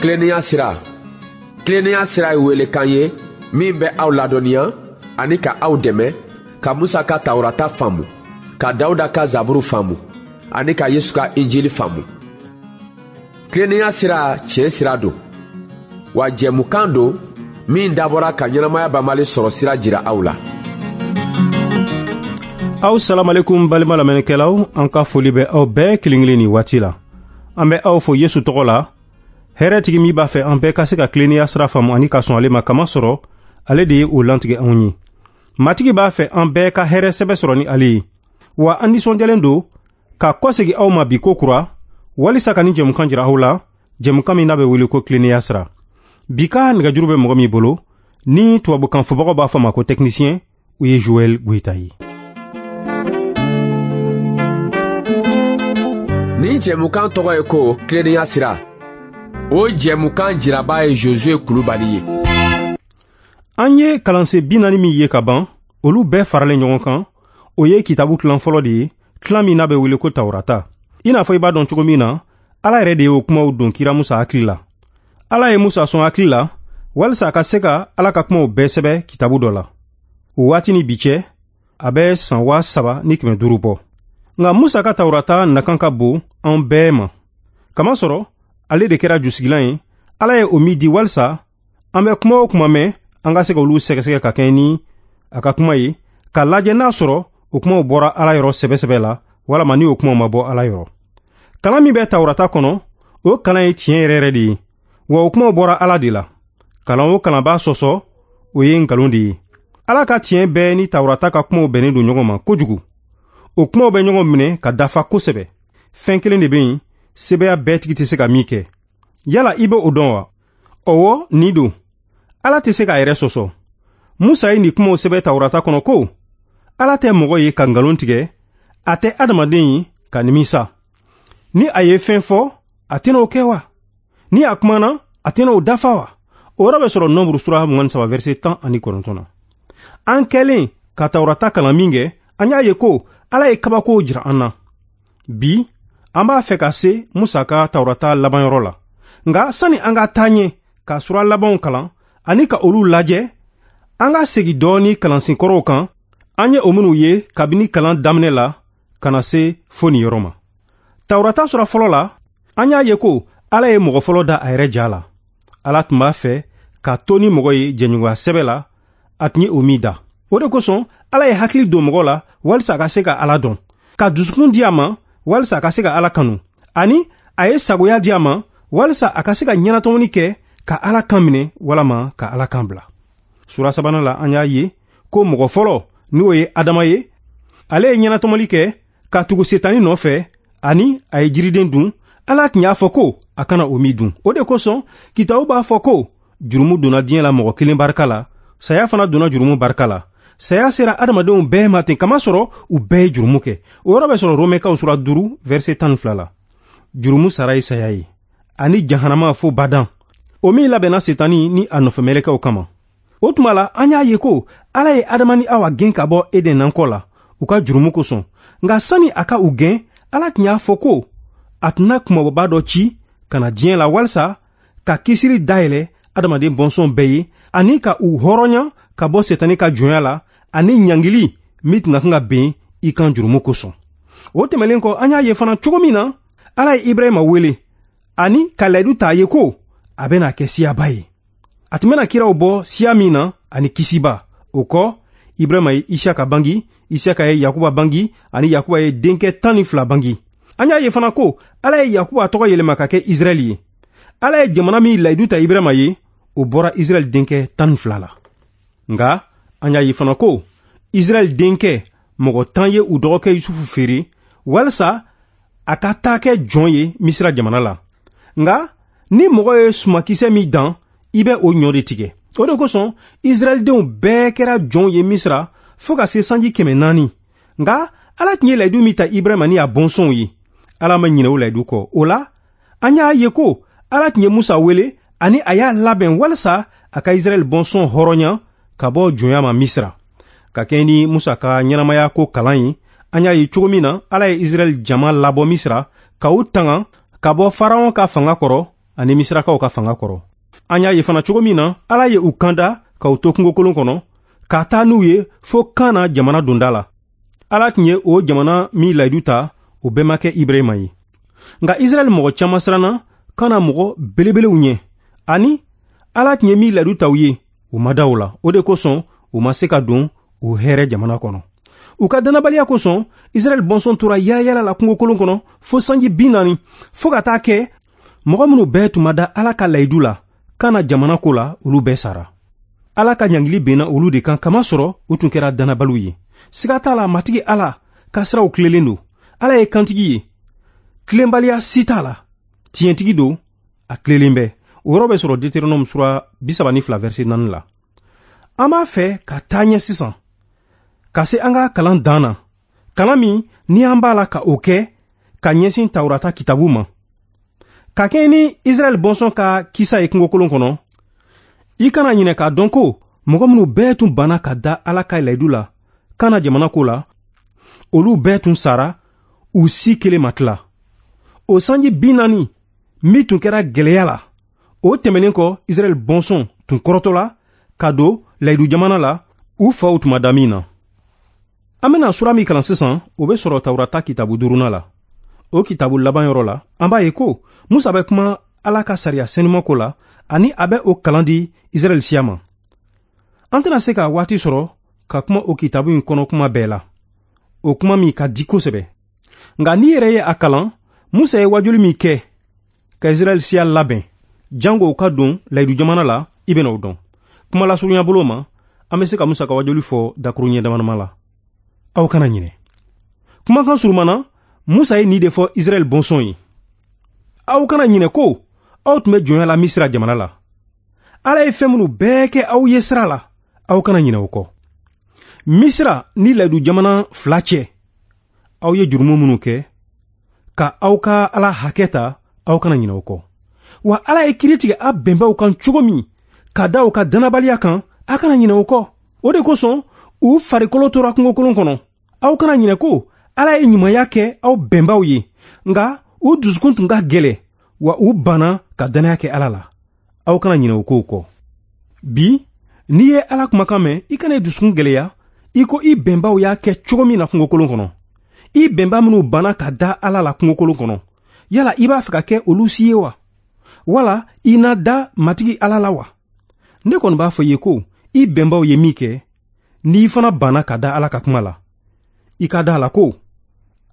Tilennenya sira. Tilennenya sira ye welekan ye min bɛ aw ladɔnniya ani ka aw dɛmɛ ka Musa ka Tawurata faamu, ka Dawuda ka Zaburu faamu ani ka Yesu ka Injili faamu. Tilennenya sira tiɲɛ sira don, wa jɛmukan don min dabɔra ka ɲɛnamaya banbali sɔrɔ sira jira aw la. Aw salamalekum balima lamɛnnikɛlaw, an ka foli bɛ aw bɛɛ kelen kelen nin waati la. An bɛ aw fo Yesu tɔgɔ la, hɛrɛtigi min b'a fɛ an bɛɛ ka se ka tilennenya sira faamu ani ka sɔn ale ma, kamasɔrɔ ale de ye o lantigɛ anw ye. Matigi b'a fɛ an bɛɛ ka hɛrɛ sɛbɛ sɔrɔ ni ale ye. Wa an nisɔndiyalen don ka kɔsegi aw ma bi ko kura, walisa ka nin jɛmukan jira aw la, jɛmukan min n'a bɛ wele ko tilennenya sira. Bi ka nɛgɛjuru bɛ mɔgɔ min bolo, ni tubabukan fɔbagaw b'a fɔ ma ko technicien, o ye Joël Goyita ye. Nin jɛmukan tɔgɔ ye ko tilennenya sira. O jɛmukan jiraba ye Josue Kulubali ye. An ye kalansen 40 min ye ka ban, olu bɛɛ faralen ɲɔgɔn kan, o ye kitabu tilan fɔlɔ de ye, tilan min n'a bɛ wele ko Tawurata. I n'a fɔ i b'a dɔn cogo min na, Ala yɛrɛ de y'o kumaw don kira Musa hakili la. Ala ye Musa sɔn hakili la, walisa a ka se ka Ala ka kumaw bɛɛ sɛbɛ kitabu dɔ la. O waati ni bi cɛ, a bɛ san 3500 bɔ. Nka Musa ka Tawurata nakan ka bon an bɛɛ ma. Kamasɔrɔ, ale de kɛra jusigilan ye, Ala ye o min di walisa an bɛ kuma o kuma mɛn, an ka se ka olu sɛgɛsɛgɛ ka kɛɲɛ ni a ka kuma ye, ka lajɛ n'a sɔrɔ o kumaw bɔra Ala yɔrɔ sɛbɛ-sɛbɛ la, walama ni o kumaw ma bɔ Ala yɔrɔ. Kalan min bɛ Tawurata kɔnɔ, o kalan ye tiɲɛ yɛrɛ yɛrɛ de ye, wa o kumaw bɔra Ala de la. Kalan o kalan b'a sɔsɔ, o ye nkalon de ye. Ala ka tiɲɛ bɛɛ ni Tawurata ka kumaw bɛnnen don ɲɔgɔn ma kojugu. O kumaw bɛ ɲɔgɔn minɛ ka dafa kosɛbɛ. Fɛn kelen de bɛ yen, sebeya bɛɛ tigi tɛ se ka min kɛ. Yala i bɛ o dɔn wa? Ɔwɔ, nin don. Ala tɛ se k'a yɛrɛ sɔsɔ. Musa ye nin kumaw sɛbɛn Tawurata kɔnɔ ko, Ala tɛ mɔgɔ ye ka nkalon tigɛ, a tɛ adamaden ye ka nimisa. Ni a ye fɛn fɔ, a tɛna o kɛ wa? Ni a kumana, a tɛna o dafa wa? O yɔrɔ bɛ sɔrɔ Nombre sura 23 verset 19 na. An kɛlen ka Tawurata kalan min kɛ, an y'a ye ko Ala ye kabakow jira an na. Bi, an b'a fɛ ka se Musa ka Tawurata labanyɔrɔ la. Nka sani an ka taa ɲɛ ka sura labanw kalan ani ka olu lajɛ, an ka segin dɔɔni kalansen kɔrɔw kan, an ye o minnu ye kabini kalan daminɛ la ka na se fo nin yɔrɔ ma. Tawurata sura fɔlɔ la, an y'a ye ko Ala ye mɔgɔ fɔlɔ da a yɛrɛ ja la. Ala tun b'a fɛ ka to ni mɔgɔ ye jɛɲɔgɔnya sɛbɛ la, a tun ye o min da. O de kosɔn Ala ye hakili don mɔgɔ la walisa a ka se ka Ala dɔn, ka dusukun di a ma walisa a ka se ka Ala kanu, ani a ye sagoya di a ma walisa a ka se ka ɲɛnatɔmɔni kɛ ka Ala kan minɛ walama ka Ala kan bila. Sura sabanan la, an y'a ye ko mɔgɔ fɔlɔ, n'o ye Adama ye, ale ye ɲɛnatɔmɔli kɛ ka tugu Setani nɔfɛ, ani a ye jiriden dun. Ala tun y'a fɔ ko a kana o min dun. O de kosɔn kitabu b'a fɔ ko jurumu donna diɲɛ la mɔgɔ kelen barika la, saya fana donna jurumu barika la. Saya sera adamadenw bɛɛ ma ten, kamasɔrɔ u bɛɛ ye jurumu kɛ. O yɔrɔ bɛ sɔrɔ Romɛkaw sura 5 verset 12 la. Jurumu sara ye saya ye, ani jahanama fo badan, o min labɛnna Setani ni a nɔfɛmɛlɛkɛw kama. O tuma la, an y'a ye ko Ala ye Adama ni Awa gɛn ka bɔ Eden nankɔ la u ka jurumu kosɔn. Nka sani a ka u gɛn, Ala tun y'a fɔ ko a tɛna kumabɔba dɔ ci ka na diɲɛ la walisa ka kisiri dayɛlɛ adamaden bɔnsɔn bɛɛ ye, ani ka u hɔrɔnya ka bɔ Setani ka jɔnya la, ani ɲangili min tun ka kan ka ben i kan jurumu kosɔn. O tɛmɛlen kɔ, an y'a ye fana cogo min na Ala ye Ibrahima wele ani ka layidu ta a ye ko a bɛna kɛ siyaba ye. A tun bɛna kiraw bɔ siya min na ani kisiba. O kɔ, Ibrahima ye Isaka bangi, Isaka ye Yakuba bangi, ani Yakuba ye denkɛ 12 bangi. An y'a ye fana ko Ala ye Yakuba tɔgɔ yɛlɛma ka kɛ Israɛl ye. Ala ye jamana min layidu ta Ibrahima ye, o bɔra Israɛl denkɛ 12 la. Nka an y'a ye fana ko Israɛl denkɛ mɔgɔ 10 ye u dɔgɔkɛ Yusufu feere walisa a ka taa kɛ jɔn ye Misira jamana la. Nka ni mɔgɔ ye sumakisɛ min dan, i bɛ o ɲɔ de tigɛ. O de kosɔn Israɛldenw bɛɛ kɛra jɔnw ye Misira fo ka se sanji 400. Nka Ala tun ye layidu min ta Ibrahima ni a bɔnsɔnw ye, Ala ma ɲinɛ o layidu kɔ. O la, an y'a ye ko Ala tun ye Musa wele ani a y'a labɛn walisa a ka Israɛl bɔnsɔn hɔrɔnya ka bɔ jɔnya ma Misira. Ka kɛɲɛ ni Musa ka ɲɛnamaya ko kalan ye, an y'a ye cogo min na Ala ye Israɛl jama labɔ Misira ka u tanga ka bɔ Faraon ka fanga kɔrɔ. ani Misirakaw ka fanga kɔrɔ. An y'a ye fana cogo min na Ala ye u kanda k'u to kungokolon kɔnɔ, ka taa n'u ye fo Kana jamana donda la. Ala tun ye o jamana min layidu ta, o bɛnbakɛ Ibrahima ye. Nka Israɛl mɔgɔ caman siranna Kana mɔgɔ belebelew ɲɛ, ani Ala tun ye min layidu ta u ye, u ma da o la. O de kosɔn u ma se ka don o hɛrɛ jamana kɔnɔ. U ka dannabaliya kosɔn, Israɛl bɔnsɔn tora yaala la kungokolon kɔnɔ fo sanji 40, fo ka taa kɛ mɔgɔ minnu bɛɛ tun ma da Ala ka layidu la Kana jamana ko la, olu bɛɛ sara. Ala ka ɲangili benna olu de kan, kamasɔrɔ u tun kɛra dannabaliw ye. Siga t'a la, Matigi Ala ka siraw tilelen don. Ala ye kantigi ye, tilenbaliya si t'a la. Tiɲɛtigi don, a tilelen bɛ. O yɔrɔ bɛ sɔrɔ Deutéronome sura 32 verset 4 la. An b'a fɛ ka taa ɲɛ sisan, ka se an ka kalan dan na, kalan min ni an b'a la ka o kɛ ka ɲɛsin Tawurata kitabu ma. Ka kɛɲɛ ni Israɛl bɔnsɔn ka kisa ye kungokolon kɔnɔ, i kana ɲinɛ k'a dɔn ko mɔgɔ minnu bɛɛ tun banna ka da Ala ka layidu la Kana jamana ko la, olu bɛɛ tun sara, u si kelen ma tila. O sanji 40 min tun kɛra gwɛlɛya la, o tɛmɛnen kɔ, Israɛl bɔnsɔn tun kɔrɔtɔla ka don layidu jamana la, u faw tun ma da min na. An bɛna sura min kalan sisan, o bɛ sɔrɔ Tawurata kitabu 5nan la. O kitabu laban yɔrɔ la, an b'a ye ko Musa bɛ kuma Ala ka sariya senuma ko la, ani a bɛ o kalan di Israɛl siya ma. An tɛna se ka waati sɔrɔ ka kuma o kitabu in kɔnɔ kuma bɛɛ la, o kuma min ka di kosɛbɛ. Nka n'i yɛrɛ ye a kalan, Musa ye wajuli min kɛ ka Israɛl siya labɛn jango u ka don layidu jamana la, i bɛna o dɔn. Kuma lasurunya bolo ma, an bɛ se ka Musa ka wajuli fɔ dakuruɲɛ damadama la. Aw kana ɲinɛ. Kumakan surumana, Musa ye nin de fɔ Israɛl bɔnsɔn ye. Aw kana ɲinɛ ko aw tun bɛ jɔnya la Misira jamana la. Ala ye fɛn minnu bɛɛ kɛ aw ye sira la, aw kana ɲinɛ o kɔ. Misira ni layidu jamana fila cɛ, aw ye jurumu minnu kɛ, ka aw ka Ala hakɛ ta, aw kana ɲinɛ o kɔ. Wa Ala ye kiiri tigɛ a bɛnbaw kan cogo min, ka da u ka dannabaliya kan, a kana ɲinɛ o kɔ. O de kosɔn u farikolo tora kungokolon kɔnɔ. Aw kana ɲinɛ ko Ala ye ɲumanya kɛ aw bɛnbaw ye, nka u dusukun tun ka gɛlɛn, wa u banna ka dannaya kɛ Ala la. Aw kana ɲinɛ o kow kɔ. Bi, n'i ye Ala kumakan mɛn, i kana i dusukun gɛlɛya i ko i bɛnbaw y'a kɛ cogo min na kungokolon kɔnɔ. I bɛnba minnu banna ka da Ala la kungokolon kɔnɔ, yala i b'a fɛ ka kɛ olu si ye wa? Wala i na da Matigi Ala la wa? Ne kɔni b'a fɔ i ye ko i bɛnbaw ye min kɛ, n'i fana banna ka da Ala ka kuma la, i ka da a la ko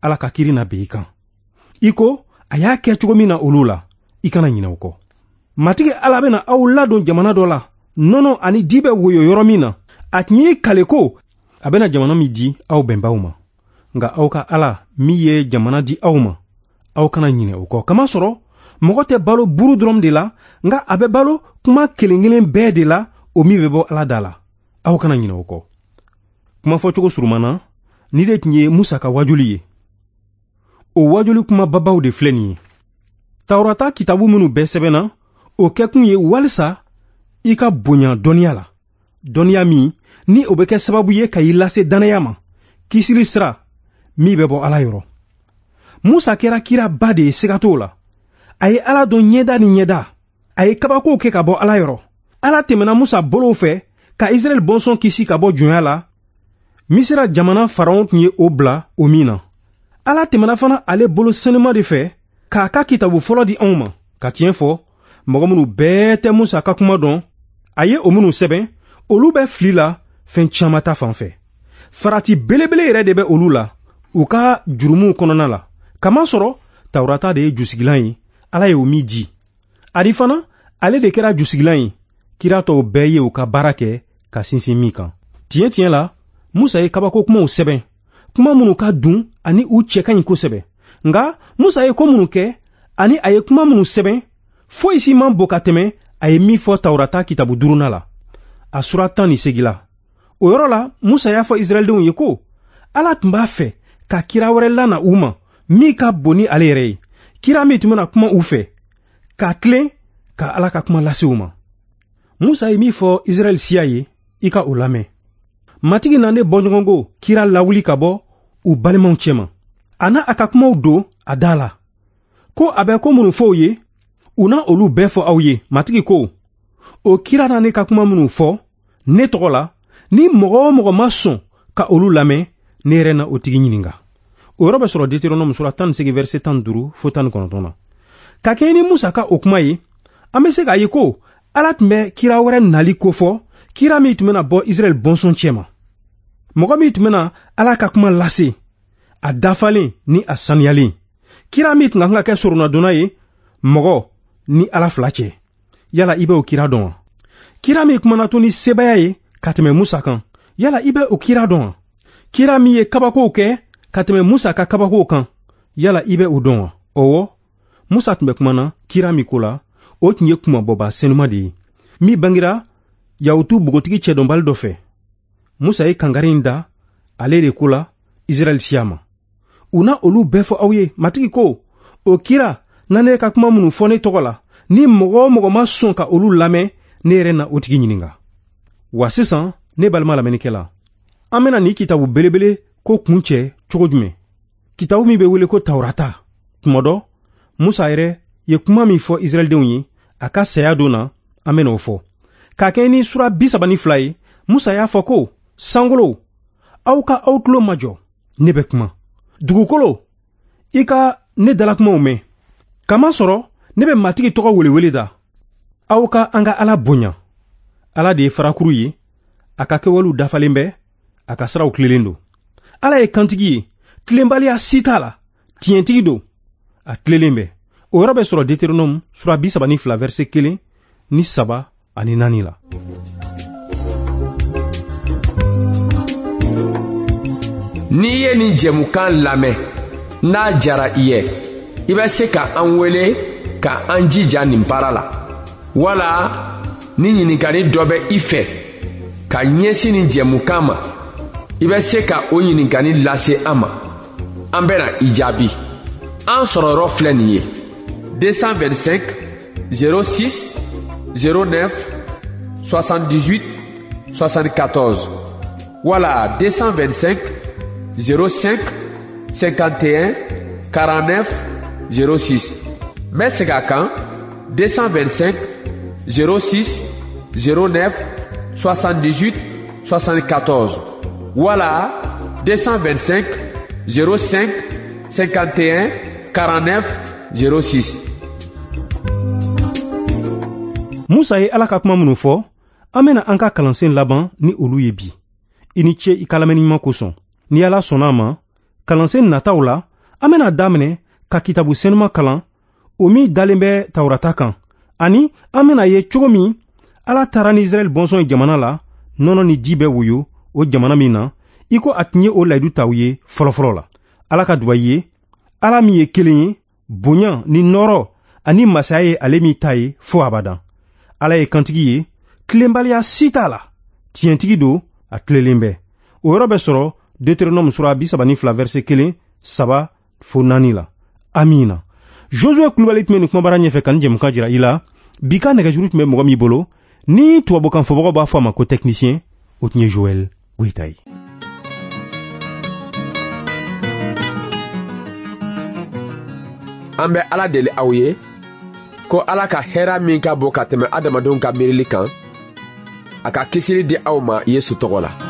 Ala ka kiiri na bin i kan. I ko a y'a kɛ cogo min na olu la, i kana ɲinɛ o kɔ. Matigi Ala bɛna aw ladon jamana dɔ la, nɔnɔ ani di bɛ woyo yɔrɔ min na. A tun y'i kale ko a bɛna jamana min di aw bɛnbaw ma. Nka aw ka Ala min ye jamana di aw ma, aw kana ɲinɛ o kɔ. Kamasɔrɔ mɔgɔ tɛ balo buru dɔrɔn de la, nka a bɛ balo kuma kelen kelen bɛɛ de la, o min bɛ bɔ Ala da la. Aw kana ɲinɛ o kɔ. Kuma fɔcogo surumana, ni de tun ye Musa ka wajuli ye. O wajuli kuma babaw de filɛ nin ye. Tawurata kitabu minnu bɛɛ sɛbɛnna, o kɛkun ye walisa i ka bonya dɔnniya la. Dɔnniya min ni o bɛ kɛ sababu ye ka i lase dannaya ma, kisili sira min bɛ bɔ Ala yɔrɔ. Musa kɛra kiraba de ye, siga t'o la. A ye Ala dɔn ɲɛda ni ɲɛda. A ye kabakow kɛ ka bɔ Ala yɔrɔ. Ala tɛmɛna Musa bolow fɛ ka Israɛl bɔnsɔn kisi ka bɔ jɔnya la. Misira jamana Faraon tun ye o bila o min na. Ala tɛmɛna fana ale bolo senuma de fɛ k'a ka kitabu fɔlɔ di anw ma. Ka tiɲɛ fɔ, mɔgɔ minnu bɛɛ tɛ Musa ka kuma dɔn, a ye o minnu sɛbɛn, olu bɛ fili la fɛn caman ta fan fɛ. Farati belebele yɛrɛ de bɛ olu la u ka jurumuw kɔnɔna la. Kamasɔrɔ Tawurata de ye jusigilan ye, Ala ye o min di. Ani fana ale de kɛra jusigilan ye, kira tɔw bɛɛ ye u ka baara kɛ ka sinsin min kan. Tiɲɛ tiɲɛ la, Musa ye kabako kumaw sɛbɛn, kuma minnu ka dun ani u cɛ ka ɲi kosɛbɛ. Nka Musa ye ko minnu kɛ ani a ye kuma minnu sɛbɛn, foyi si man bon ka tɛmɛ a ye min fɔ Tawurata kitabu 5nan la, a sura 18 la. O yɔrɔ la, Musa y'a fɔ Israɛldenw ye ko Ala tun b'a fɛ ka kira wɛrɛ lana u ma min ka bon ni ale yɛrɛ ye, kira min tun bɛna kuma u fɛ, ka tilen ka Ala ka kuma lase u ma. Musa ye min fɔ Israɛl siya ye, i ka o lamɛn. Matigi na ne bɔɲɔgɔnko kira lawuli ka bɔ u balimaw cɛma. A n'a a ka kumaw don a da la, ko a bɛ ko minnu fɔ u ye, U na olu bɛɛ fɔ aw ye. Matigi ko, o kira na ne ka kuma minnu fɔ ne tɔgɔ la, ni mɔgɔ o mɔgɔ ma sɔn ka olu lamɛn, ne yɛrɛ na o tigi ɲininka. O yɔrɔ bɛ sɔrɔ Deutéronome sura 18 verset 15 fo 19 na. Ka kɛɲɛ ni Musa ka o kuma ye, an bɛ se k'a ye ko Ala tun bɛ kira wɛrɛ nali kofɔ, kira min tun bɛna bɔ Israɛl bɔnsɔn cɛma, mɔgɔ min tun bɛna Ala ka kuma lase a dafalen ni a saniyalen, kira min tun ka kan ka kɛ soronadonna ye mɔgɔ ni Ala fila cɛ. Yala i bɛ o kira dɔn wa? Kira min kumana to ni sebaaya ye ka tɛmɛ Musa kan, yala i bɛ o kira dɔn wa? Kira min ye kabakow kɛ ka tɛmɛ Musa ka kabakow kan, yala i bɛ o dɔn wa? Ɔwɔ, Musa tun bɛ kumana kira min ko la, o tun ye kunmabɔba senuma de ye, min bangera Yahutu bogotigi cɛdɔnbali dɔ fɛ. Musa ye kangari in da ale de ko la Israɛl siya ma. U na olu bɛɛ fɔ aw ye. Matigi ko, o kira na ne ka kuma minnu fɔ ne tɔgɔ la, ni mɔgɔ o mɔgɔ ma sɔn ka olu lamɛn, ne yɛrɛ na o tigi ɲininka. Wa sisan, ne balima lamɛnnikɛla, an bɛna nin kitabu belebele ko kun cɛ cogo jumɛn? Kitabu min bɛ wele ko Tawurata. Tuma dɔ, Musa yɛrɛ ye kuma min fɔ Israɛldenw ye a ka saya don na, an bɛna o fɔ. K'a kɛ ni sura 32 ye, Musa y'a fɔ ko, sankolo, aw ka aw tulo majɔ, ne bɛ kuma. Dugukolo, i ka ne dalakumaw mɛn. Kamasɔrɔ ne bɛ Matigi tɔgɔ welewele da. Aw ka an ka Ala bonya. Ala de ye farakuru ye, a ka kɛwalew dafalen bɛ, a ka siraw tilelen don. Ala ye kantigi ye, tilenbaliya si t'a la, tiɲɛtigi don, a tilelen bɛ. O yɔrɔ bɛ sɔrɔ Deutéronome sura 32 verset 1 ni 3 ani 4 la. N'i ye nin jɛmukan lamɛn, n'a jara i ye, i bɛ se ka an wele ka an jija nin baara la. Wala ni ɲininkali dɔ bɛ i fɛ ka ɲɛsin nin jɛmukan ma, i bɛ se ka o ɲininkali lase an ma. An bɛna i jaabi. An sɔrɔ yɔrɔ filɛ nin ye: 225 06 09 78 74 wala 225 05 51 49 06. N bɛ segin a kan: 225 06 09 78 74 wala 225 05 51 49 06. Musa ye Ala ka kuma minnu fɔ, an bɛna an ka kalansen laban ni olu ye bi. I ni ce i ka lamɛnni ɲuman kosɔn. Ni Ala sɔnna a ma, kalansen nataw la, an bɛna daminɛ ka kitabu senuma kalan, o min dalen bɛ Tawurata kan, ani an bɛna ye cogo min Ala taara ni Israɛl bɔnsɔn ye jamana la, nɔnɔ ni ji bɛ woyo o jamana min na, i ko a tun ye o layidu ta u ye fɔlɔfɔlɔ la. Ala ka duba i ye, Ala min ye kelen ye, bonya ni nɔɔrɔ ani masaya ye ale min ta ye fo abadan. Ala ye kantigi ye, tilenbaliya si t'a la, tiɲɛtigi don, a tilelen bɛ. O yɔrɔ bɛ sɔrɔ Deutéronome sura 32 verset 1, 3 fo 4 la. Amina. Josué Kulubali tun bɛ nin kumabara ɲɛfɛ ka nin jɛmukan jira i la. Bi ka nɛgɛjuru tun bɛ mɔgɔ min bolo, ni tubabukan fɔbagaw b'a fɔ a ma ko technicien, o tun ye Joël Goyita ye. An bɛ Ala deli aw ye ko Ala ka hɛra min ka bon ka tɛmɛ adamadenw ka miirili kan, a ka kisili di aw ma Yesu tɔgɔ la.